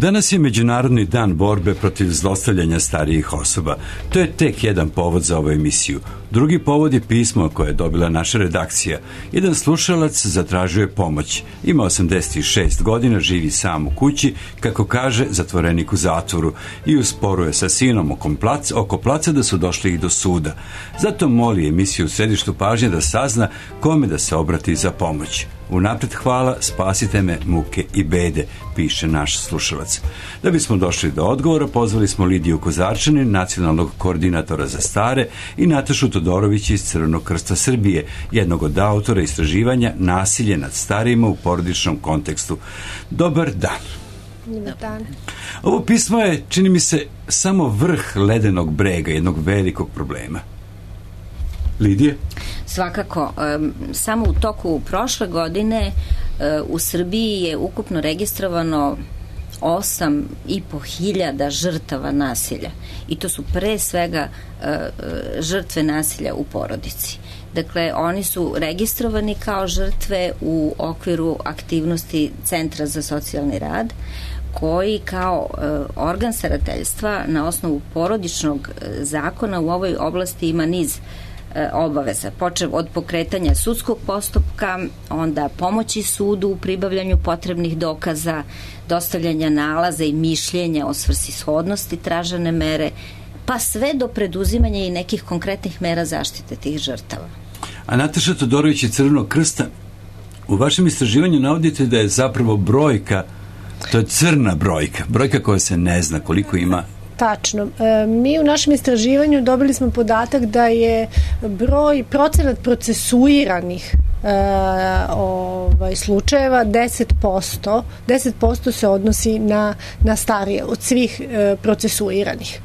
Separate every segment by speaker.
Speaker 1: Danas je Međunarodni dan borbe protiv zlostavljanja starijih osoba. To je tek jedan povod za ovu emisiju. Drugi povod je pismo koje je dobila naša redakcija. Jedan slušalac zatražio je pomoć. Ima 86 godina, živi sam u kući, kako kaže, zatvorenik u zatvoru i u sporu je sa sinom oko placa da su došli i do suda. Zato moli emisiju u središtu pažnje da sazna kome da se obrati za pomoć. Unapred hvala, spasite me muke i bede, piše naš slušalac. Da bismo došli do odgovora, pozvali smo Lidiju Kozarčanin, nacionalnog koordinatora za stare, i Natašu Todorović iz Crvenog krsta Srbije, jednog od autora istraživanja nasilje nad starijima u porodičnom kontekstu. Dobar dan.
Speaker 2: Dobar dan.
Speaker 1: Ovo pismo je, čini mi se, samo vrh ledenog brega jednog velikog problema. Lidije?
Speaker 2: Svakako, samo u toku prošle godine u Srbiji je ukupno registrovano 8.500 žrtava nasilja. I to su pre svega žrtve nasilja u porodici. Dakle, oni su registrovani kao žrtve u okviru aktivnosti Centra za socijalni rad, koji kao organ starateljstva na osnovu porodičnog zakona u ovoj oblasti ima niz obaveza, počev od pokretanja sudskog postupka, onda pomoći sudu u pribavljanju potrebnih dokaza, dostavljanja nalaza i mišljenja o svrsishodnosti tražene mere, pa sve do preduzimanja i nekih konkretnih mera zaštite tih žrtava.
Speaker 1: A Nataša Todorović iz Crvenog krsta, u vašem istraživanju navodite da je zapravo brojka, to je crna brojka koja se ne zna koliko ima.
Speaker 3: Tačno. Mi u našem istraživanju dobili smo podatak da je procenat procesuiranih slučajeva 10%. 10% se odnosi na starije od svih procesuiranih.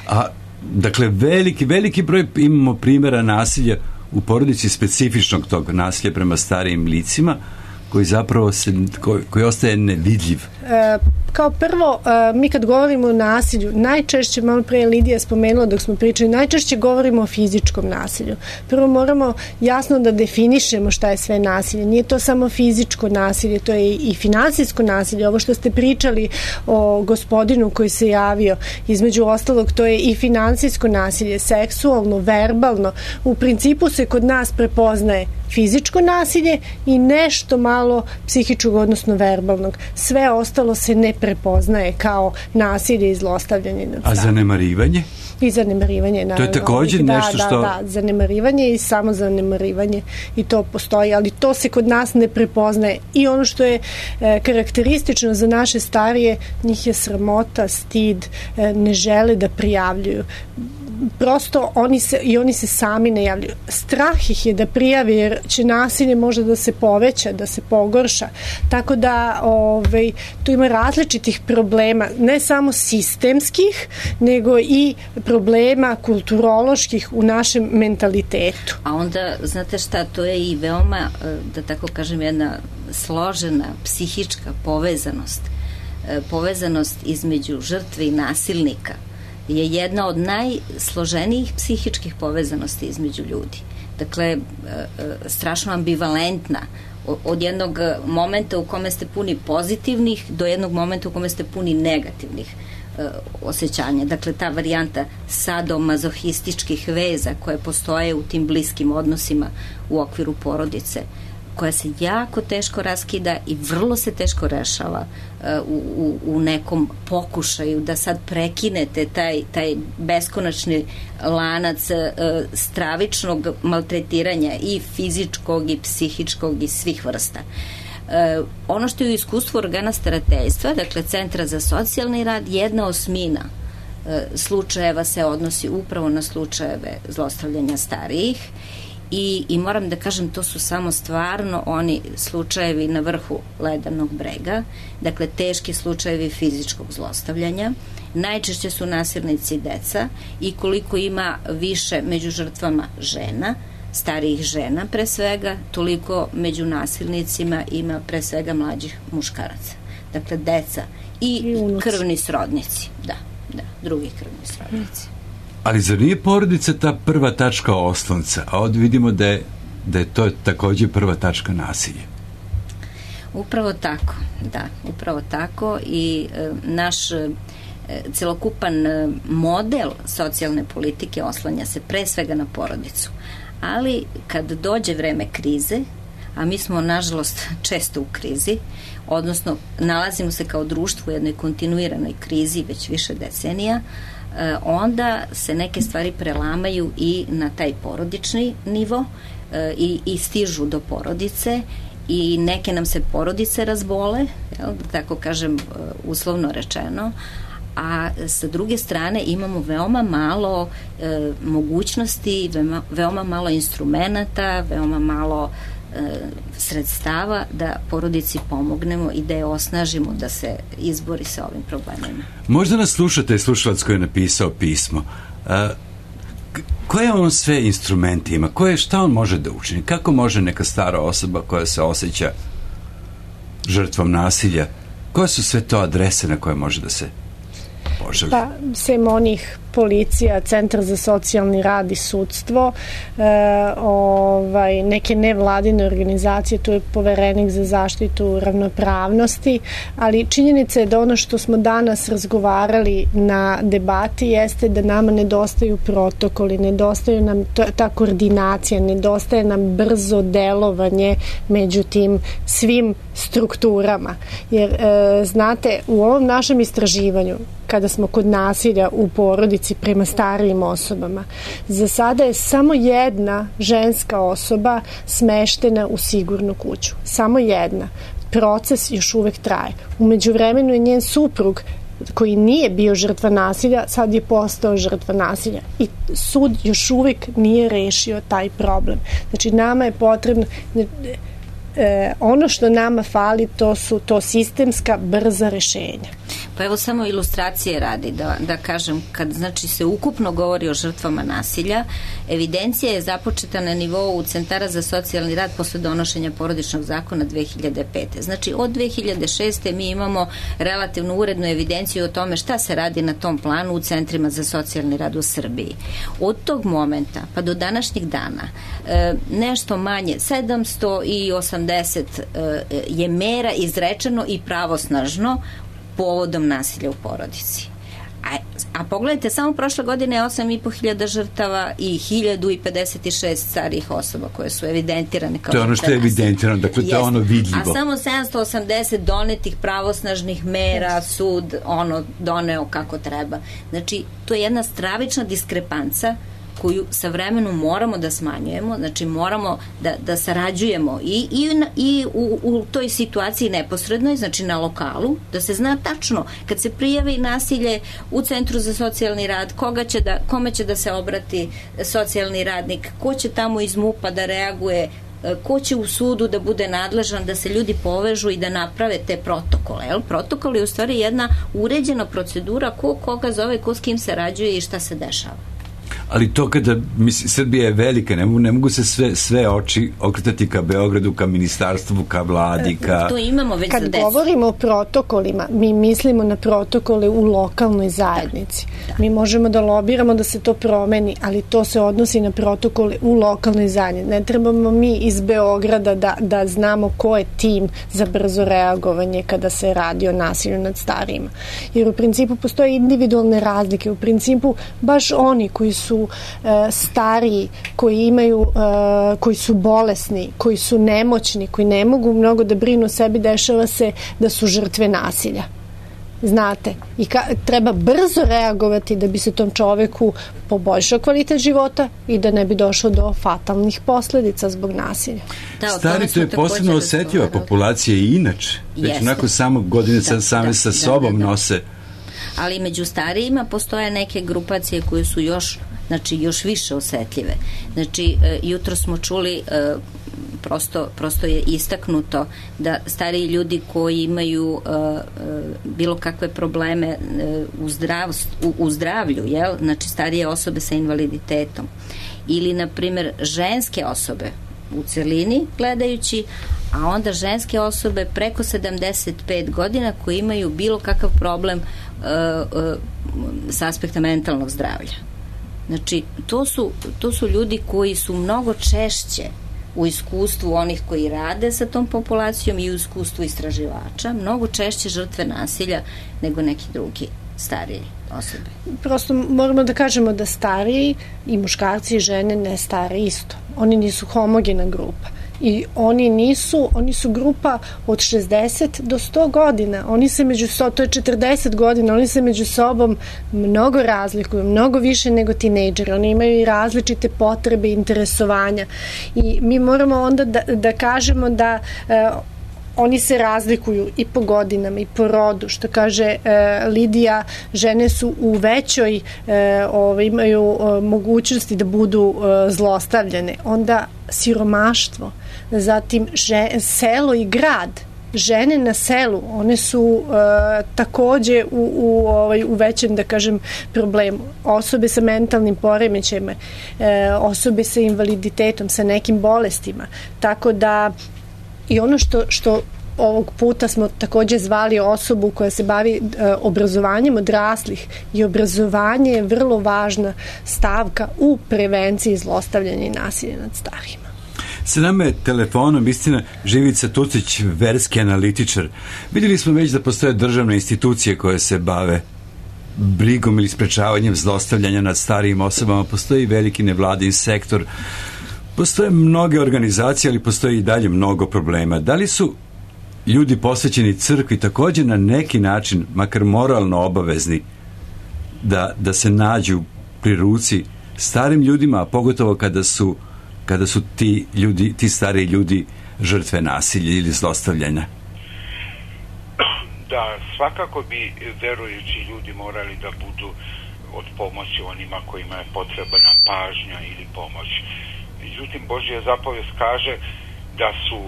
Speaker 1: A, dakle, veliki broj imamo primjera nasilja u porodici, specifičnog tog nasilja prema starijim licima, koji zapravo koji ostaje nevidljiv.
Speaker 3: Kao prvo, mi kad govorimo o nasilju, najčešće, malo pre Lidija spomenula dok smo pričali, najčešće govorimo o fizičkom nasilju. Prvo moramo jasno da definišemo šta je sve nasilje. Nije to samo fizičko nasilje, to je i finansijsko nasilje. Ovo što ste pričali o gospodinu koji se javio, između ostalog, to je i finansijsko nasilje, seksualno, verbalno. U principu se kod nas prepoznaje fizičko nasilje i nešto malo psihičkog, odnosno verbalnog. Sve ostalo se ne prepoznaje kao nasilje i zlostavljanje.
Speaker 1: A zanemarivanje?
Speaker 3: I zanemarivanje, naravno.
Speaker 1: To je također nešto što...
Speaker 3: Da, zanemarivanje i samo zanemarivanje, i to postoji, ali to se kod nas ne prepoznaje. I ono što je karakteristično za naše starije, njih je sramota, stid, ne žele da prijavljuju. Prosto oni se sami ne javljaju. Strah ih je da prijave, jer će nasilje možda da se poveća, da se pogorša. Tako da tu ima različitih problema, ne samo sistemskih, nego i problema kulturoloških u našem mentalitetu.
Speaker 2: A onda, znate šta, to je i veoma, da tako kažem, jedna složena psihička povezanost između žrtve i nasilnika je jedna od najsloženijih psihičkih povezanosti između ljudi. Dakle, strašno ambivalentna. Od jednog momenta u kome ste puni pozitivnih do jednog momenta u kome ste puni negativnih osjećanja. Dakle, ta varijanta sadomazohističkih veza koje postoje u tim bliskim odnosima u okviru porodice, koja se jako teško raskida i vrlo se teško rešava u nekom pokušaju da sad prekinete taj beskonačni lanac stravičnog maltretiranja i fizičkog i psihičkog i svih vrsta. Ono što je u iskustvu organa starateljstva, dakle Centra za socijalni rad, 1/8 slučajeva se odnosi upravo na slučajeve zlostavljanja starijih. I moram da kažem, to su samo stvarno oni slučajevi na vrhu ledenog brega, dakle teški slučajevi fizičkog zlostavljanja. Najčešće su nasilnici deca i koliko ima više među žrtvama žena, starijih žena pre svega, toliko među nasilnicima ima pre svega mlađih muškaraca. Dakle, deca i krvni srodnici. Da, drugi krvni srodnici.
Speaker 1: Ali zar nije porodica ta prva tačka oslonca, a ovdje vidimo da je to također prva tačka nasilja?
Speaker 2: Upravo tako, da, upravo tako i naš celokupan model socijalne politike oslanja se pre svega na porodicu. Ali kad dođe vreme krize, a mi smo nažalost često u krizi, odnosno nalazimo se kao društvo u jednoj kontinuiranoj krizi već više decenija, onda se neke stvari prelamaju i na taj porodični nivo i stižu do porodice i neke nam se porodice razbole, jel, da tako kažem uslovno rečeno, a sa druge strane imamo veoma malo mogućnosti, veoma malo instrumenata, veoma malo sredstava da porodici pomognemo i da je osnažimo da se izbori sa ovim problemima.
Speaker 1: Možda nas slušate slušalac koji je napisao pismo. Koje on sve instrumente ima? Šta on može da učini? Kako može neka stara osoba koja se osjeća žrtvom nasilja, koje su sve to adrese na koje može da se poželi?
Speaker 3: Pa, sem onih policija, Centar za socijalni rad i sudstvo, neke nevladine organizacije, tu je Poverenik za zaštitu ravnopravnosti, ali činjenica je da ono što smo danas razgovarali na debati jeste da nama nedostaju protokoli, nedostaju nam ta koordinacija, nedostaje nam brzo delovanje među tim svim strukturama. Jer, znate, u ovom našem istraživanju, kada smo kod nasilja u porodici prema starijim osobama, za sada je samo jedna ženska osoba smeštena u sigurnu kuću. Samo jedna. Proces još uvek traje. U međuvremenu je njen suprug, koji nije bio žrtva nasilja, sad je postao žrtva nasilja. I sud još uvek nije rešio taj problem. Znači, nama je potrebno... ono što nama fali, to sistemska brza rešenja.
Speaker 2: Pa evo samo ilustracije radi da kažem, kad znači se ukupno govori o žrtvama nasilja, evidencija je započeta na nivou Centara za socijalni rad posle donošenja porodičnog zakona 2005. Znači od 2006. mi imamo relativno urednu evidenciju o tome šta se radi na tom planu u centrima za socijalni rad u Srbiji. Od tog momenta pa do današnjih dana nešto manje 780 je mera izrečeno i pravosnažno povodom nasilja u porodici. A pogledajte, samo prošle godine je 8.500 žrtava i 1056 starijih osoba koje su evidentirane kao žrtve nasilja. To je
Speaker 1: ono što je evidentirano, dakle to je ono vidljivo.
Speaker 2: A samo 780 donetih pravosnažnih mera, sud doneo kako treba. Znači, to je jedna stravična diskrepanca koju sa vremenom moramo da smanjujemo, znači moramo da sarađujemo i u toj situaciji neposrednoj, znači na lokalu, da se zna tačno kad se prijavi nasilje u Centru za socijalni rad, kome će da se obrati socijalni radnik, ko će tamo iz MUP-a da reaguje, ko će u sudu da bude nadležan, da se ljudi povežu i da naprave te protokole. Protokol je u stvari jedna uređena procedura ko koga zove, ko s kim sarađuje i šta se dešava.
Speaker 1: Ali to kada, Srbija je velika, ne mogu se sve oči okretati ka Beogradu, ka ministarstvu, ka vladi, ka...
Speaker 2: To imamo već za decu.
Speaker 3: Kad govorimo o protokolima, mi mislimo na protokole u lokalnoj zajednici. Da. Mi možemo da lobiramo da se to promeni, ali to se odnosi na protokole u lokalnoj zajednici. Ne trebamo mi iz Beograda da znamo ko je tim za brzo reagovanje kada se radi o nasilju nad starijima. Jer u principu postoje individualne razlike. U principu baš oni koji su stariji, koji su bolesni, koji su nemoćni, koji ne mogu mnogo da brinu o sebi, dešava se da su žrtve nasilja. Znate, i treba brzo reagovati da bi se tom čoveku poboljšao kvalitet života i da ne bi došlo do fatalnih posledica zbog nasilja.
Speaker 1: Stari, to je posebno osetljiva populacija i inače. Već onako samo godine same sa sobom nose.
Speaker 2: Ali među starijima postoje neke grupacije koje su još više osetljive. Znači, jutro smo čuli, prosto je istaknuto da stariji ljudi koji imaju bilo kakve probleme u zdravlju, znači starije osobe sa invaliditetom ili, na primjer, ženske osobe u celini gledajući, a onda ženske osobe preko 75 godina koji imaju bilo kakav problem s aspekta mentalnog zdravlja. Znači, to su ljudi koji su mnogo češće u iskustvu onih koji rade sa tom populacijom i u iskustvu istraživača mnogo češće žrtve nasilja nego neki drugi stariji osobe.
Speaker 3: Prosto moramo da kažemo da stariji i muškarci i žene ne stare isto. Oni nisu homogena grupa. I oni su grupa od 60 do 100 godina. Oni se to je 40 godina, oni se među sobom mnogo razlikuju, mnogo više nego tinejdžeri. Oni imaju i različite potrebe i interesovanja. I mi moramo onda da kažemo da oni se razlikuju i po godinama i po rodu, što kaže Lidija, žene su u većoj, imaju mogućnosti da budu zlostavljane. Onda siromaštvo, zatim selo i grad, žene na selu, one su takođe u većem, da kažem, problemu. Osobe sa mentalnim poremećajima, osobe sa invaliditetom, sa nekim bolestima. Tako da i ono što ovog puta smo takođe zvali osobu koja se bavi obrazovanjem odraslih, i obrazovanje je vrlo važna stavka u prevenciji zlostavljanja i nasilja nad starijima.
Speaker 1: Sa nama je telefonom, istina, Živica Tucić, verski analitičar. Vidjeli smo već da postoje državne institucije koje se bave brigom ili sprečavanjem zlostavljanja nad starijim osobama. Postoji veliki nevladin sektor, postoje mnoge organizacije, ali postoji i dalje mnogo problema. Da li su ljudi posvećeni crkvi također na neki način, makar moralno obavezni, da se nađu pri ruci starim ljudima, a pogotovo kada su ti stariji ljudi žrtve nasilja ili zlostavljanja?
Speaker 4: Da, svakako bi verujući ljudi morali da budu od pomoći onima kojima je potrebna pažnja ili pomoć. Međutim, Božja zapovest kaže da su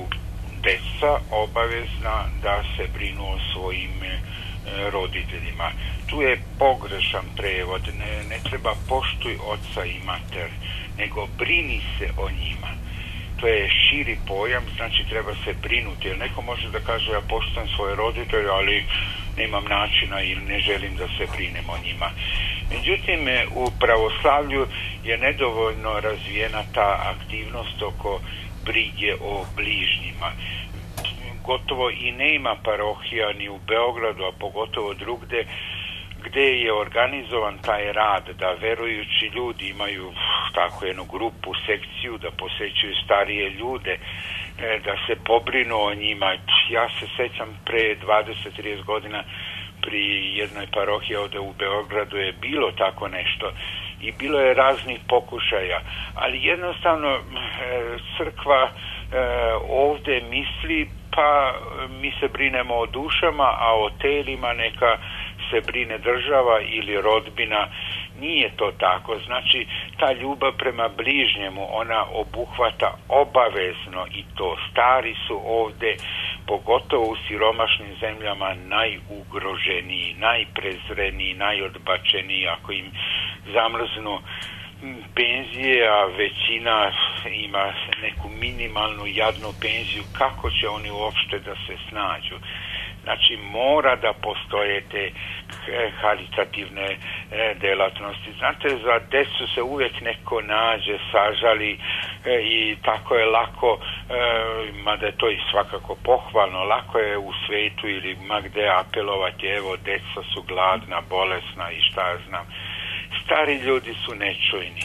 Speaker 4: deca obavezna da se brinu o svojim roditeljima. Tu je pogrešan prevod, ne treba poštuj oca i mater, nego brini se o njima. To je širi pojam, znači treba se brinuti, jer neko može da kaže ja poštujem svoje roditelje, ali nemam načina ili ne želim da se brinem o njima. Međutim, u pravoslavlju je nedovoljno razvijena ta aktivnost oko brige o bližnjima. Gotovo i nema parohija ni u Beogradu, a pogotovo drugde, gde je organizovan taj rad da verujući ljudi imaju tako jednu grupu, sekciju, da posećuju starije ljude, da se pobrinu o njima. Ja se sećam pre 20-30 godina pri jednoj parohiji ovde u Beogradu je bilo tako nešto i bilo je raznih pokušaja, ali jednostavno crkva ovde misli pa mi se brinemo o dušama, a o telima neka se brine država ili rodbina. Nije to tako. Znači, ta ljubav prema bližnjemu, ona obuhvata obavezno i to. Stari su ovde, pogotovo u siromašnim zemljama, najugroženiji, najprezreniji, najodbačeniji. Ako im zamrznu penzije, a većina ima neku minimalnu jadnu penziju, kako će oni uopšte da se snađu? Znači, mora da postoje te haritativne delatnosti. Znate, za decu se uvijek neko nađe, sažali i tako je lako, mada je to i svakako pohvalno, lako je u svetu ili ma gde apelovati, evo, deca su gladna, bolesna i šta ja znam. Stari ljudi su nečujni.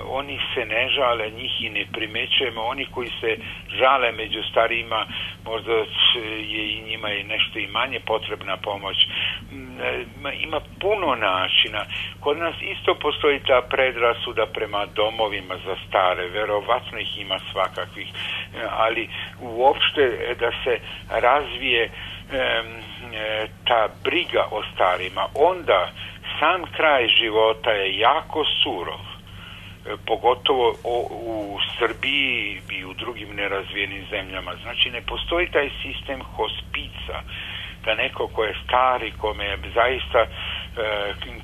Speaker 4: Oni se ne žale, njih i ne primećujemo. Oni koji se žale među starijima, možda je i njima je nešto i manje potrebna pomoć. Ima puno načina. Kod nas isto postoji ta predrasuda prema domovima za stare. Verovatno ih ima svakakvih. Ali uopšte da se razvije ta briga o starima, onda sam kraj života je jako surov. Pogotovo u Srbiji i u drugim nerazvijenim zemljama. Znači, ne postoji taj sistem hospica, da neko ko je stari, kome je zaista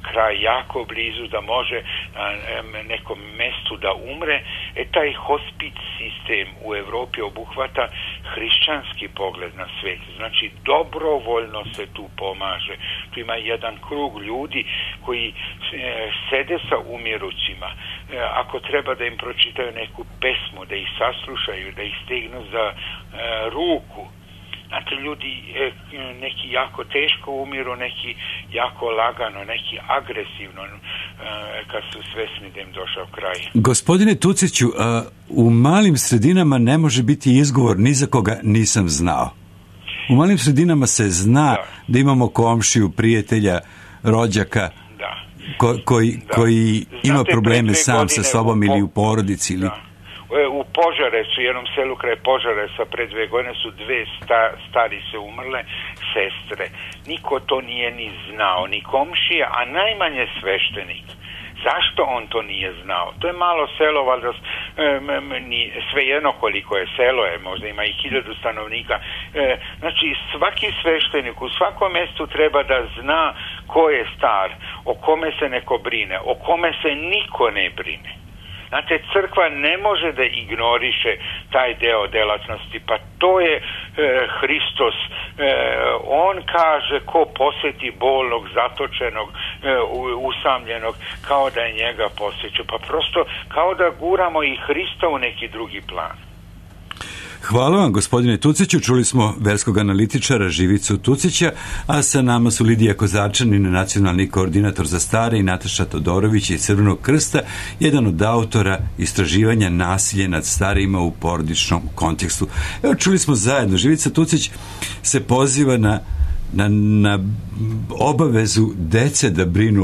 Speaker 4: kraj jako blizu, da može na nekom mestu da umre. Taj hospic sistem u Evropi obuhvata hrišćanski pogled na svet. Znači, dobrovoljno se tu pomaže. Tu ima jedan krug ljudi koji sede sa umirućima. Ako treba da im pročitaju neku pesmu, da ih saslušaju, da ih stegnu za ruku. Znate, ljudi neki jako teško umiru, neki jako lagano, neki agresivno, kad su svesni da im došao kraj.
Speaker 1: Gospodine Tuciću, u malim sredinama ne može biti izgovor ni za koga nisam znao. U malim sredinama se zna da imamo komšiju, prijatelja, rođaka koji ima probleme sam sa sobom ili u porodici. Ili...
Speaker 4: U Požarecu, jednom selu kraj Požareca, pre 2 godine su 2 starice umrle, sestre. Niko to nije ni znao, ni komšija, a najmanje sveštenik. Zašto on to nije znao? To je malo selo, valjda svejedno koliko je selo, možda ima i 1000 stanovnika. Znači, svaki sveštenik u svakom mjestu treba da zna ko je star, o kome se neko brine, o kome se niko ne brine. Znate, crkva ne može da ignoriše taj deo delatnosti, pa to je Hristos. On kaže ko posjeti bolnog, zatočenog, usamljenog, kao da je njega posjeća. Pa prosto kao da guramo i Hrista u neki drugi plan.
Speaker 1: Hvala vam, gospodine Tuciću. Čuli smo verskog analitičara Živicu Tucića, a sa nama su Lidija Kozarčanin, nacionalni koordinator za stare, i Nataša Todorović iz Crvenog krsta, jedan od autora istraživanja nasilje nad starijima u porodičnom kontekstu. Evo, čuli smo zajedno, Živica Tucić se poziva na obavezu dece da brinu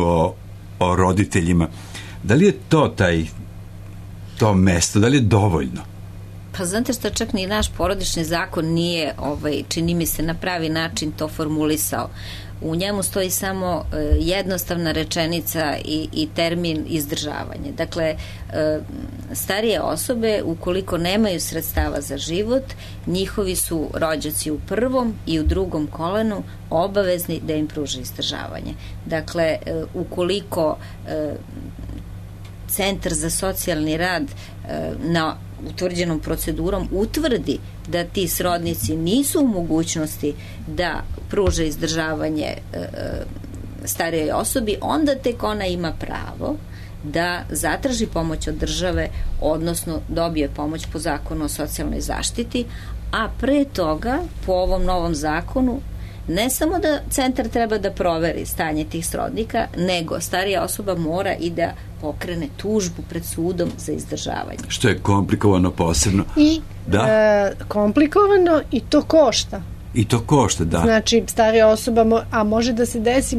Speaker 1: o roditeljima. Da li je to mesto, da li je dovoljno?
Speaker 2: Pa znate što, čak ni naš porodični zakon nije, čini mi se, na pravi način to formulisao. U njemu stoji samo jednostavna rečenica i termin izdržavanje. Dakle, starije osobe, ukoliko nemaju sredstava za život, njihovi su rođaci u prvom i u drugom kolenu obavezni da im pruže izdržavanje. Dakle, ukoliko Centar za socijalni rad na utvrđenom procedurom utvrdi da ti srodnici nisu u mogućnosti da pruže izdržavanje starijoj osobi, onda tek ona ima pravo da zatraži pomoć od države, odnosno dobije pomoć po zakonu o socijalnoj zaštiti, a pre toga, po ovom novom zakonu, ne samo da centar treba da proveri stanje tih srodnika, nego starija osoba mora i da pokrene tužbu pred sudom za izdržavanje.
Speaker 1: Što je komplikovano posebno.
Speaker 3: I komplikovano i to košta.
Speaker 1: I to košta, da.
Speaker 3: Znači, starija osoba, a može da se desi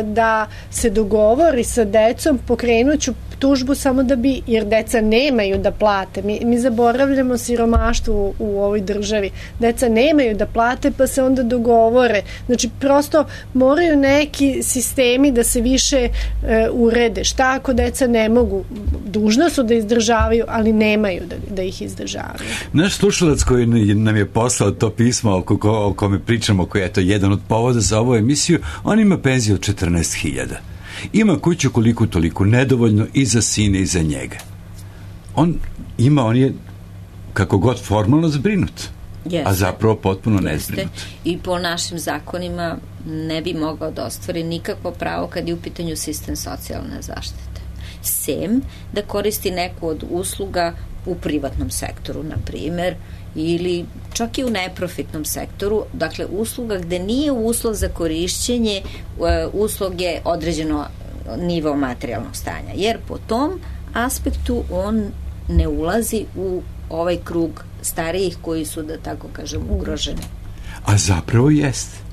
Speaker 3: da se dogovori sa decom, pokrenuću tužbu samo da bi, jer deca nemaju da plate. Mi zaboravljamo siromaštvo u ovoj državi. Deca nemaju da plate, pa se onda dogovore. Znači, prosto moraju neki sistemi da se više urede. Šta ako deca ne mogu? Dužna su da izdržavaju, ali nemaju da ih izdržavaju.
Speaker 1: Naš slušalac koji nam je poslao to pismo o kome pričamo, koji je to jedan od povoda za ovu emisiju, on ima penziju od 14.000. Ima kuću koliko toliko, nedovoljno i za sine i za njega. On je kako god formalno zbrinut, a zapravo potpuno nezbrinut.
Speaker 2: I po našim zakonima ne bi mogao da ostvari nikakvo pravo kad je u pitanju sistem socijalne zaštite. Sem da koristi neku od usluga u privatnom sektoru, na primjer, ili čak i u neprofitnom sektoru, dakle usluga gde nije uslov za korišćenje usluge određeno nivo materijalnog stanja, jer po tom aspektu on ne ulazi u ovaj krug starijih koji su, da tako kažem, ugroženi.
Speaker 1: A zapravo jeste.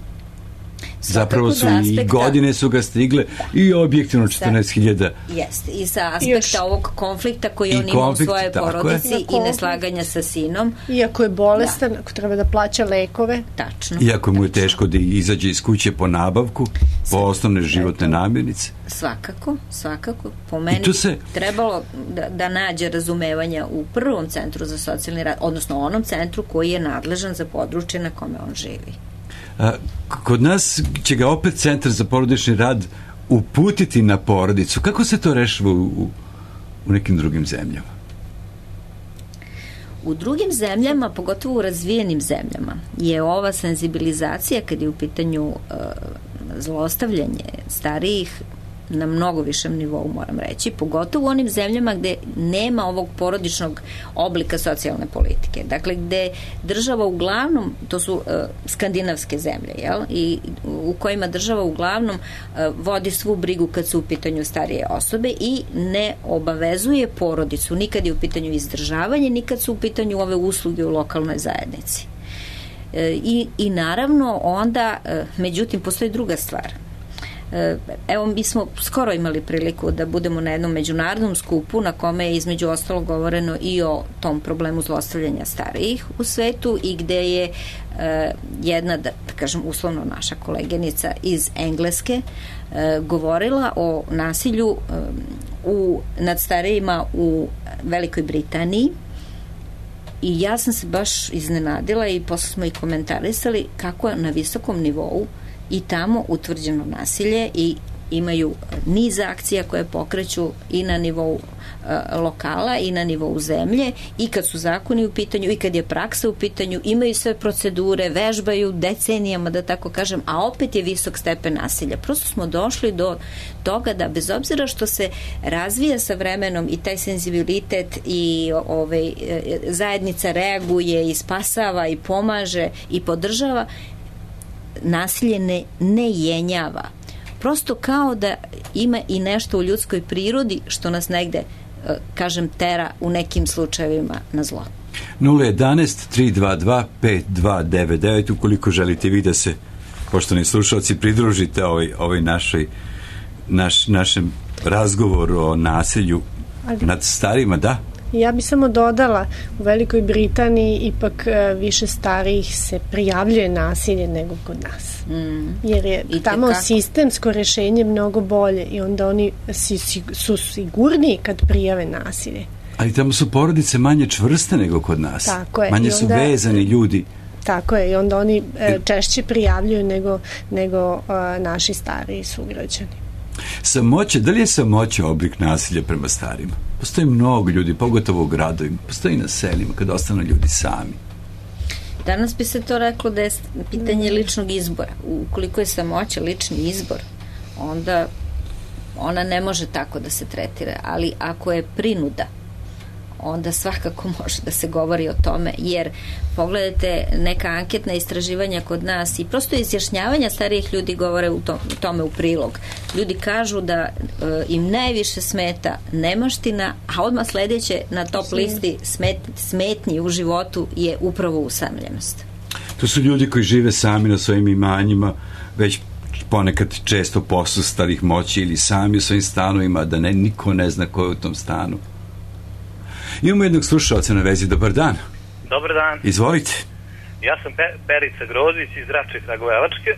Speaker 1: Zapravo su i godine su ga stigle i objektivno 14.000.
Speaker 2: Jeste, i sa aspekta ovog konflikta koji on ima u svojoj porodici i neslaganja sa sinom.
Speaker 3: Iako je bolestan, ako treba da plaća lekove.
Speaker 2: Tačno.
Speaker 1: Iako mu je teško da izađe iz kuće po nabavku, po osnovne životne namirnice.
Speaker 2: Svakako. Po meni trebalo da nađe razumevanja u prvom centru za socijalni rad, odnosno onom centru koji je nadležan za područje na kome on živi.
Speaker 1: Kod nas će ga opet Centar za porodični rad uputiti na porodicu. Kako se to rešava u nekim drugim zemljama?
Speaker 2: U drugim zemljama, pogotovo u razvijenim zemljama, je ova senzibilizacija kad je u pitanju zlostavljanje starijih na mnogo višem nivou, moram reći, pogotovo u onim zemljama gde nema ovog porodičnog oblika socijalne politike. Dakle, gde država uglavnom, to su skandinavske zemlje, jel? I u kojima država uglavnom vodi svu brigu kad su u pitanju starije osobe i ne obavezuje porodicu, nikad je u pitanju izdržavanje, nikad su u pitanju ove usluge u lokalnoj zajednici. I naravno onda, međutim, postoji druga stvar. Evo, mi smo skoro imali priliku da budemo na jednom međunarodnom skupu na kome je između ostalog govoreno i o tom problemu zlostavljanja starijih u svetu i gde je jedna, da kažem uslovno naša koleginica iz Engleske govorila o nasilju nad starijima u Velikoj Britaniji. I ja sam se baš iznenadila i posle smo i komentarisali kako je na visokom nivou i tamo utvrđeno nasilje i imaju niz akcija koje pokreću i na nivou lokala i na nivou zemlje i kad su zakoni u pitanju i kad je praksa u pitanju, imaju sve procedure, vežbaju decenijama, da tako kažem, a opet je visok stepen nasilja. Prosto smo došli do toga da bez obzira što se razvija sa vremenom i taj senzibilitet i zajednica reaguje i spasava i pomaže i podržava, nasilje ne jenjava. Prosto kao da ima i nešto u ljudskoj prirodi što nas negde, kažem, tera u nekim slučajevima na zlo. 011-322-5299 ukoliko želite vi da se, poštovani slušalci, pridružite ovoj našem razgovoru o nasilju nad starima, da?
Speaker 3: Ja bi samo dodala, u Velikoj Britaniji ipak više starijih se prijavljuje nasilje nego kod nas. Jer je tamo sistemsko rješenje mnogo bolje i onda oni su sigurniji kad prijave nasilje.
Speaker 1: Ali tamo su porodice manje čvrste nego kod nas.
Speaker 3: Tako je.
Speaker 1: Manje su vezani ljudi.
Speaker 3: Tako je, i onda oni češće prijavljuju nego naši stariji sugrađani.
Speaker 1: Samoća, da li je samoća oblik nasilja prema starima? Postoji mnogo ljudi, pogotovo u gradovima, postoji na selima kad ostanu ljudi sami.
Speaker 2: Danas bi se to reklo da je pitanje ličnog izbora. Ukoliko je samoća lični izbor, onda ona ne može tako da se tretira, ali ako je prinuda, onda svakako može da se govori o tome, jer pogledajte neka anketna istraživanja kod nas i prosto izjašnjavanja starijih ljudi govore tome u prilog. Ljudi kažu da im najviše smeta nemaština, a odmah sledeće na top listi smetnji u životu je upravo usamljenost.
Speaker 1: To su ljudi koji žive sami na svojim imanjima, već ponekad često posustalih moći ili sami u svojim stanovima, da niko ne zna ko je u tom stanu. Imamo jednog slušalca na vezi. Dobar dan.
Speaker 5: Dobar dan.
Speaker 1: Izvolite.
Speaker 5: Ja sam Perica Grozić iz Rače Kragujevačke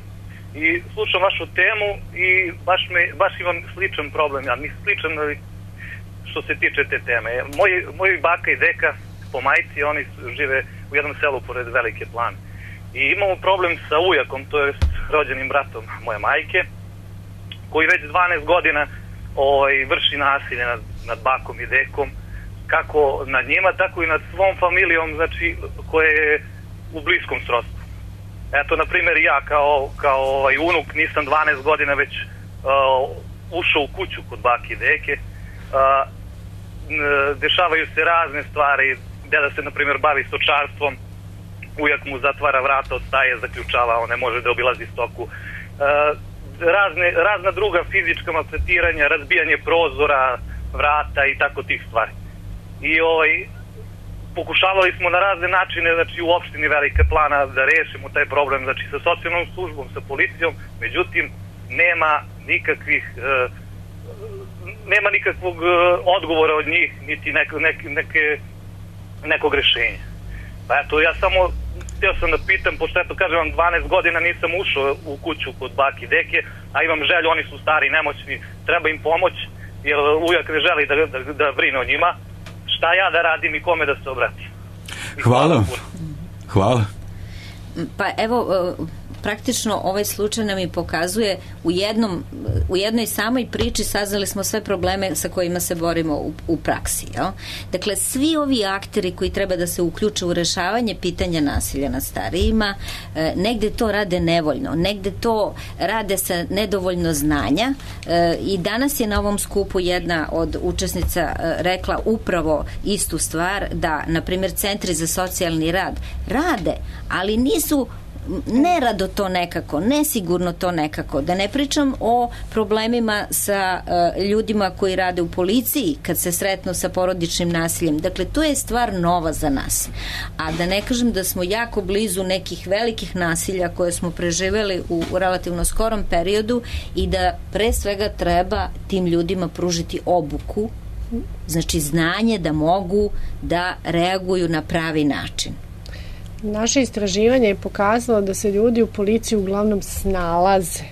Speaker 5: i slušam vašu temu i baš imam sličan problem. Ja nisam sličan što se tiče te teme. Moji baka i deka po majci, oni žive u jednom selu pored Velike Plane. I imamo problem sa ujakom, to je rođenim bratom moje majke, koji već 12 godina vrši nasilje nad bakom i dekom, kako nad njima, tako i nad svom familijom, znači, koje je u bliskom srodstvu. Eto, na primjer, ja kao unuk nisam 12 godina već ušao u kuću kod bake i deke. Dešavaju se razne stvari, deda se, na primjer, bavi stočarstvom, ujak mu zatvara vrata od staje, zaključava, on ne može da obilazi stoku. Razna druga fizička maltretiranja, razbijanje prozora, vrata i tako tih stvari. I pokušavali smo na razne načine, znači u opštini Velika Plana da rešimo taj problem, znači sa socijalnom službom, sa policijom, međutim nema nikakvog odgovora od njih, niti nekog rešenja. Pa eto, ja samo htio sam da pitam, pošto eto kažem vam 12 godina nisam ušao u kuću kod bake i deke, a imam želju, oni su stari i nemoćni, treba im pomoć, jer ujak ne želi da brine o njima. Šta ja da radim i kome da se obratim?
Speaker 1: Hvala.
Speaker 2: Pa evo, praktično ovaj slučaj nam i pokazuje u jednoj samoj priči saznali smo sve probleme sa kojima se borimo u praksi. Jel? Dakle, svi ovi akteri koji treba da se uključe u rešavanje pitanja nasilja nad starijima, negde to rade nevoljno, negde to rade sa nedovoljno znanja i danas je na ovom skupu jedna od učesnica rekla upravo istu stvar, da, na primjer, centri za socijalni rad rade, ali nisu nerado to nekako, nesigurno to nekako. Da ne pričam o problemima sa ljudima koji rade u policiji kad se sretnu sa porodičnim nasiljem. Dakle, to je stvar nova za nas. A da ne kažem da smo jako blizu nekih velikih nasilja koje smo preživeli u relativno skorom periodu i da pre svega treba tim ljudima pružiti obuku, znači znanje da mogu da reaguju na pravi način.
Speaker 3: Naše istraživanje je pokazalo da se ljudi u policiji uglavnom snalaze.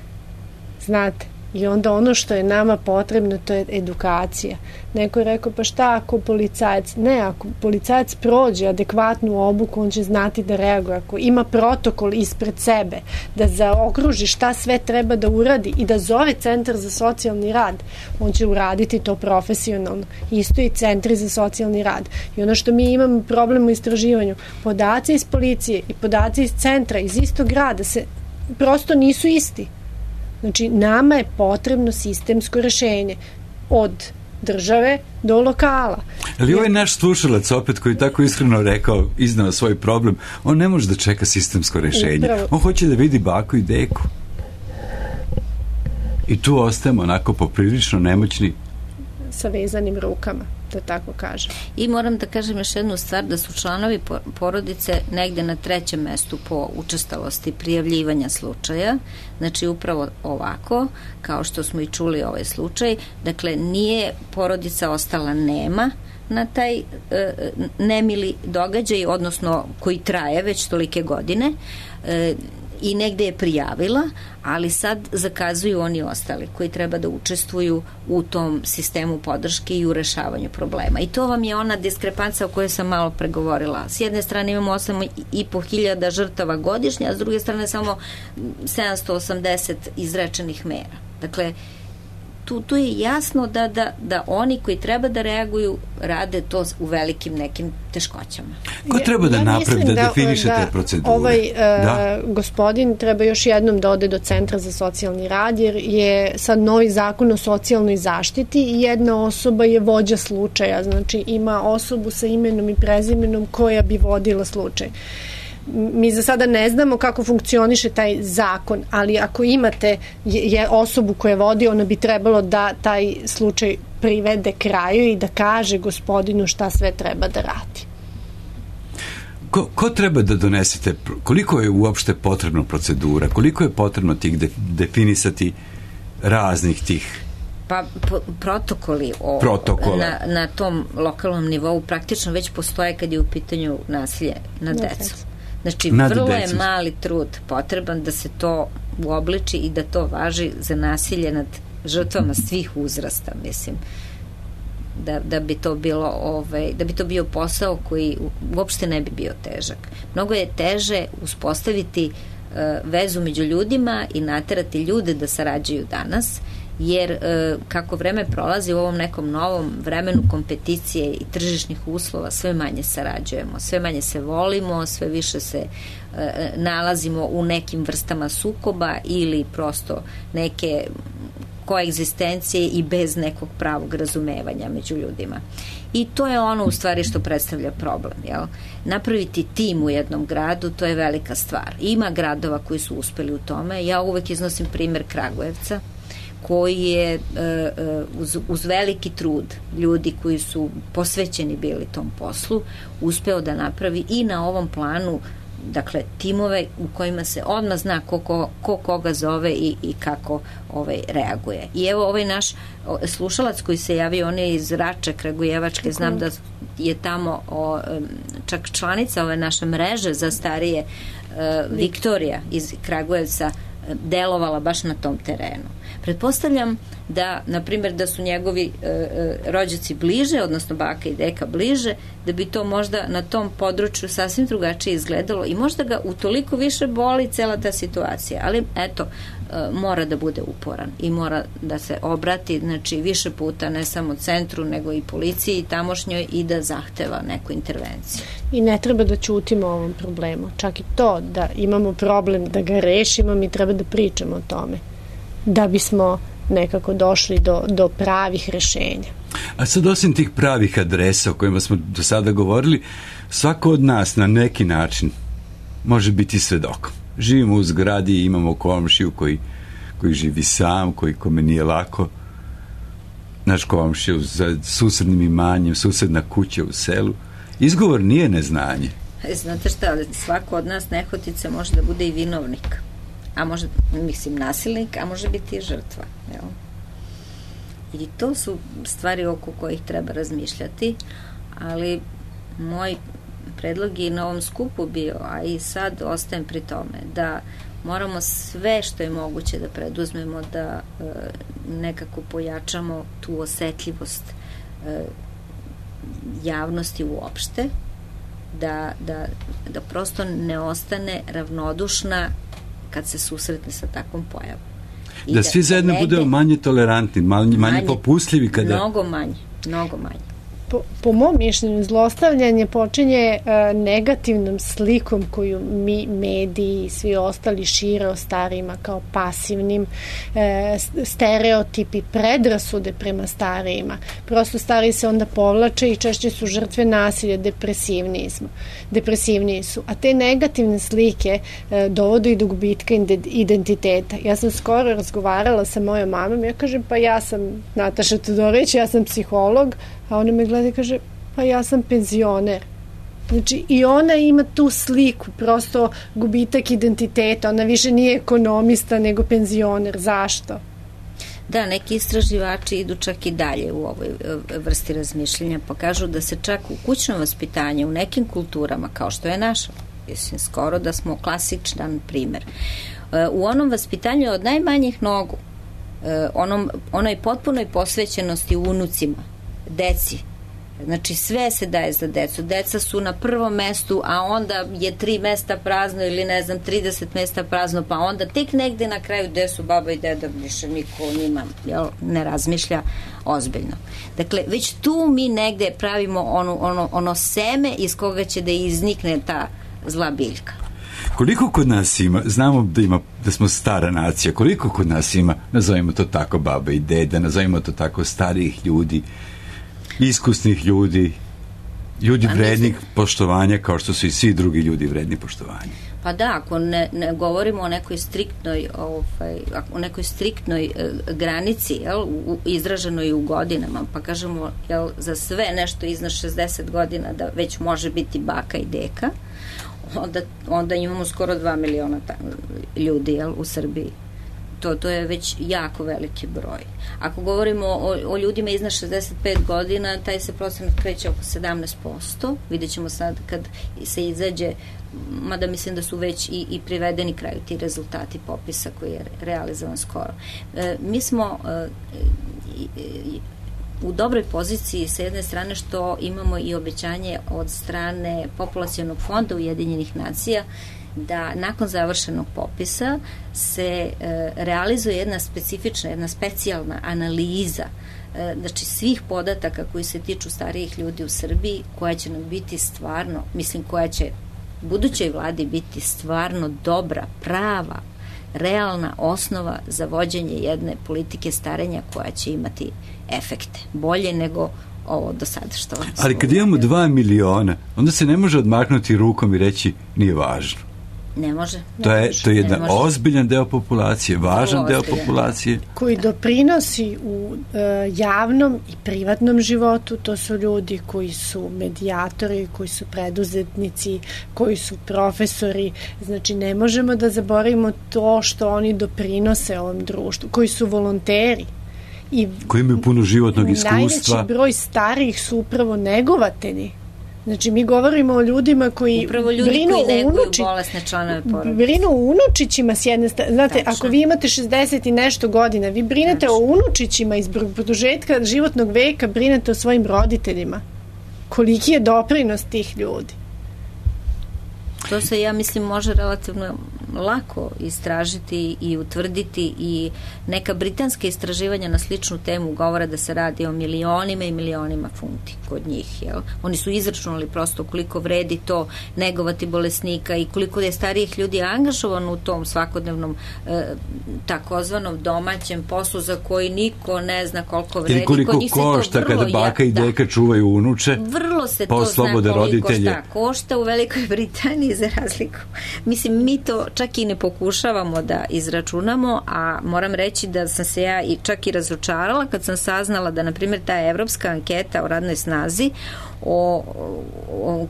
Speaker 3: Znate, i onda ono što je nama potrebno, to je edukacija. Neko je rekao, pa šta ako policajac? Ne, ako policajac prođe adekvatnu obuku, on će znati da reaguje. Ako ima protokol ispred sebe, da zaokruži šta sve treba da uradi i da zove centar za socijalni rad, on će uraditi to profesionalno. Isto i centri za socijalni rad. I ono što mi imamo problem u istraživanju, podaci iz policije i podaci iz centra, iz istog grada, se prosto nisu isti. Znači, nama je potrebno sistemsko rešenje od države do lokala.
Speaker 1: Ali ovaj naš slušalac opet koji tako iskreno rekao, iznao svoj problem, on ne može da čeka sistemsko rešenje. Upravo. On hoće da vidi baku i deku. I tu ostajemo onako poprilično nemoćni.
Speaker 3: Sa vezanim rukama, da tako kažem.
Speaker 2: I moram da kažem još jednu stvar, da su članovi porodice negde na 3. mestu po učestalosti prijavljivanja slučaja. Znači upravo ovako, kao što smo i čuli ovaj slučaj, dakle nije porodica ostala nema na taj nemili događaj, odnosno koji traje već tolike godine, i negde je prijavila, ali sad zakazuju oni ostali koji treba da učestvuju u tom sistemu podrške i u rešavanju problema. I to vam je ona diskrepanca o kojoj sam malo pregovorila. S jedne strane imamo 8.500 žrtava godišnje, a s druge strane samo 780 izrečenih mera. Dakle, tu je jasno da oni koji treba da reaguju rade to u velikim nekim teškoćama.
Speaker 1: Ko treba da napravi, da definiše te procedure?
Speaker 3: Ovaj gospodin treba još jednom da ode do Centra za socijalni rad, jer je sad novi zakon o socijalnoj zaštiti i jedna osoba je vođa slučaja, znači ima osobu sa imenom i prezimenom koja bi vodila slučaj. Mi za sada ne znamo kako funkcioniše taj zakon, ali ako imate osobu koja vodi, ona bi trebalo da taj slučaj privede kraju i da kaže gospodinu šta sve treba da radi.
Speaker 1: Ko treba da donesete, koliko je uopšte potrebno procedura, koliko je potrebno tih definisati raznih tih
Speaker 2: pa protokoli na tom lokalnom nivou praktično već postoje kad je u pitanju nasilje nad decom. Znači, vrlo je mali trud potreban da se to uobliči i da to važi za nasilje nad žrtvama svih uzrasta, mislim. Da bi to bilo da bi to bio posao koji uopšte ne bi bio težak. Mnogo je teže uspostaviti vezu među ljudima i naterati ljude da sarađuju danas, jer kako vreme prolazi u ovom nekom novom vremenu kompeticije i tržišnih uslova, sve manje sarađujemo, sve manje se volimo, sve više se nalazimo u nekim vrstama sukoba ili prosto neke koegzistencije i bez nekog pravog razumevanja među ljudima. I to je ono u stvari što predstavlja problem. Jel? Napraviti tim u jednom gradu, to je velika stvar. Ima gradova koji su uspeli u tome. Ja uvek iznosim primer Kragujevca, koji je uz veliki trud ljudi koji su posvećeni bili tom poslu uspeo da napravi i na ovom planu, dakle, timove u kojima se odmah zna ko koga zove i kako reaguje. I evo ovaj naš slušalac koji se javio, on je iz Rače Kragujevačke, znam da je tamo čak članica ove naše mreže za starije, Viktorija iz Kragujevca, delovala baš na tom terenu. Pretpostavljam da, na primjer, da su njegovi rođaci bliže, odnosno baka i deka bliže, da bi to možda na tom području sasvim drugačije izgledalo i možda ga utoliko više boli cela ta situacija, ali eto, mora da bude uporan i mora da se obrati, znači više puta ne samo centru nego i policiji tamošnjoj i da zahteva neku intervenciju.
Speaker 3: I ne treba da ćutimo o ovom problemu, čak i to da imamo problem da ga rešimo, mi treba da pričamo o tome da bismo nekako došli do pravih rešenja.
Speaker 1: A sad, osim tih pravih adresa o kojima smo do sada govorili, svako od nas na neki način može biti svedokom. Živimo u zgradi i imamo komšiju koji živi sam, kome nije lako. Naš komšija za susednim imanjem, susedna kuća u selu. Izgovor nije neznanje.
Speaker 2: Znate šta, svako od nas nehotice može da bude i vinovnik. A može, mislim, nasilnik, a može biti i žrtva. Jel? I to su stvari oko kojih treba razmišljati, ali moj predlog je na ovom skupu bio, a i sad ostajem pri tome, da moramo sve što je moguće da preduzmemo, da nekako pojačamo tu osetljivost javnosti uopšte, da prosto ne ostane ravnodušna kad se susretne sa takvom pojavom.
Speaker 1: Da svi zajedno budemo manje tolerantni, manje popustljivi kada...
Speaker 2: Mnogo manje.
Speaker 3: Po mom mišljenju, zlostavljanje počinje negativnom slikom koju mi, mediji i svi ostali šire o starijima kao pasivnim, stereotipi, predrasude prema starijima. Prosto stariji se onda povlače i češće su žrtve nasilja, depresivniji su. A te negativne slike dovode i do gubitka identiteta. Ja sam skoro razgovarala sa mojom mamom, ja kažem, pa ja sam Nataša Todorović, ja sam psiholog, a ona me gleda i kaže, pa ja sam penzioner. Znači, i ona ima tu sliku, prosto gubitak identiteta, ona više nije ekonomista nego penzioner. Zašto?
Speaker 2: Da, neki istraživači idu čak i dalje u ovoj vrsti razmišljenja, pa kažu da se čak u kućnom vaspitanju, u nekim kulturama, kao što je naša, mislim, skoro da smo klasičan primer, u onom vaspitanju od najmanjih nogu, onoj potpunoj posvećenosti unucima, deci, znači sve se daje za decu, deca su na prvom mestu, a onda je 3 mesta prazno ili ne znam 30 mesta prazno, pa onda tek negde na kraju gde su baba i deda, više niko o njima ne razmišlja ozbiljno. Dakle, već tu mi negde pravimo ono seme iz koga će da iznikne ta zla biljka.
Speaker 1: Koliko kod nas ima, znamo da smo stara nacija, koliko kod nas ima, nazovimo to tako, baba i deda, nazovimo to tako, starijih ljudi, iskusnih ljudi vrednih poštovanja, kao što su i svi drugi ljudi vredni poštovanja.
Speaker 2: Pa da, ako ne govorimo o nekoj striktnoj granici, izraženoj u godinama, pa kažemo, za sve nešto iznad 60 godina da već može biti baka i deka, onda imamo skoro 2 miliona ljudi u Srbiji. To je već jako veliki broj. Ako govorimo o ljudima iznad 65 godina, taj se procenat kreće oko 17%. Vidjet ćemo sad kad se izađe, mada mislim da su već i privedeni kraju ti rezultati popisa koji je realizovan skoro. Mi smo u dobroj poziciji sa jedne strane što imamo i obećanje od strane Populacionog fonda Ujedinjenih nacija da nakon završenog popisa se realizuje jedna specifična, jedna specijalna analiza znači svih podataka koji se tiču starijih ljudi u Srbiji, koja će nam biti stvarno, mislim koja će budućoj vladi biti stvarno dobra, prava, realna osnova za vođenje jedne politike starenja koja će imati efekte, bolje nego ovo do sada što...
Speaker 1: Ali kad imamo 2 miliona, onda se ne može odmaknuti rukom i reći nije važno.
Speaker 2: Ne može.
Speaker 1: To je jedan ozbiljan deo populacije, važan deo populacije.
Speaker 3: Koji doprinosi u javnom i privatnom životu, to su ljudi koji su medijatori, koji su preduzetnici, koji su profesori, znači ne možemo da zaboravimo to što oni doprinose ovom društvu, koji su volonteri.
Speaker 1: Koji imaju puno životnog iskustva.
Speaker 3: Najveći broj starijih su upravo negovatelji. Znači, mi govorimo o ljudima koji brinu o unučićima s jedne strane. Znate, ako vi imate 60 i nešto godina, vi brinete o unučićima iz produžetka životnog veka, brinete o svojim roditeljima. Koliki je doprinos tih ljudi?
Speaker 2: To se, ja mislim, može relativno lako istražiti i utvrditi i neka britanska istraživanja na sličnu temu govore da se radi o milionima i milionima funti kod njih. Jel? Oni su izračunali prosto koliko vredi to negovati bolesnika i koliko je starijih ljudi angažovano u tom svakodnevnom takozvanom domaćem poslu za koji niko ne zna koliko vredi.
Speaker 1: Ili koliko košta kada baka i deka čuvaju unuče,
Speaker 2: vrlo se to zna koliko šta košta u Velikoj Britaniji za razliku. Mislim, mi to čak i ne pokušavamo da izračunamo, a moram reći da sam se ja čak i razočarala kad sam saznala da, na primjer, ta evropska anketa o radnoj snazi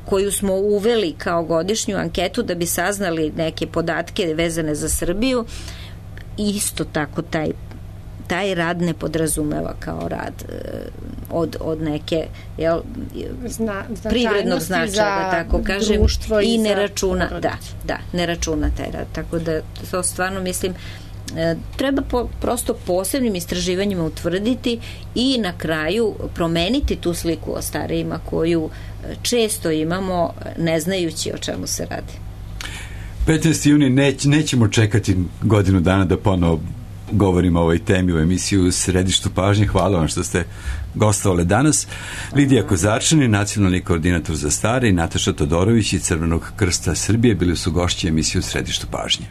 Speaker 2: koju smo uveli kao godišnju anketu da bi saznali neke podatke vezane za Srbiju, isto tako taj rad ne podrazumeva kao rad od neke privrednog značaja, da tako kažem, i ne računa, ne računa taj rad. Tako da to stvarno mislim treba prosto posebnim istraživanjima utvrditi i na kraju promeniti tu sliku o starijima koju često imamo ne znajući o čemu se radi.
Speaker 1: 15. juni nećemo čekati godinu dana da ponovo govorimo o ovoj temi u emisiju Središtu pažnje. Hvala vam što ste gostovali danas. Lidija Kozarčanin, nacionalni koordinator za stare, i Nataša Todorović iz Crvenog krsta Srbije bili su gošći emisiju Središtu pažnje.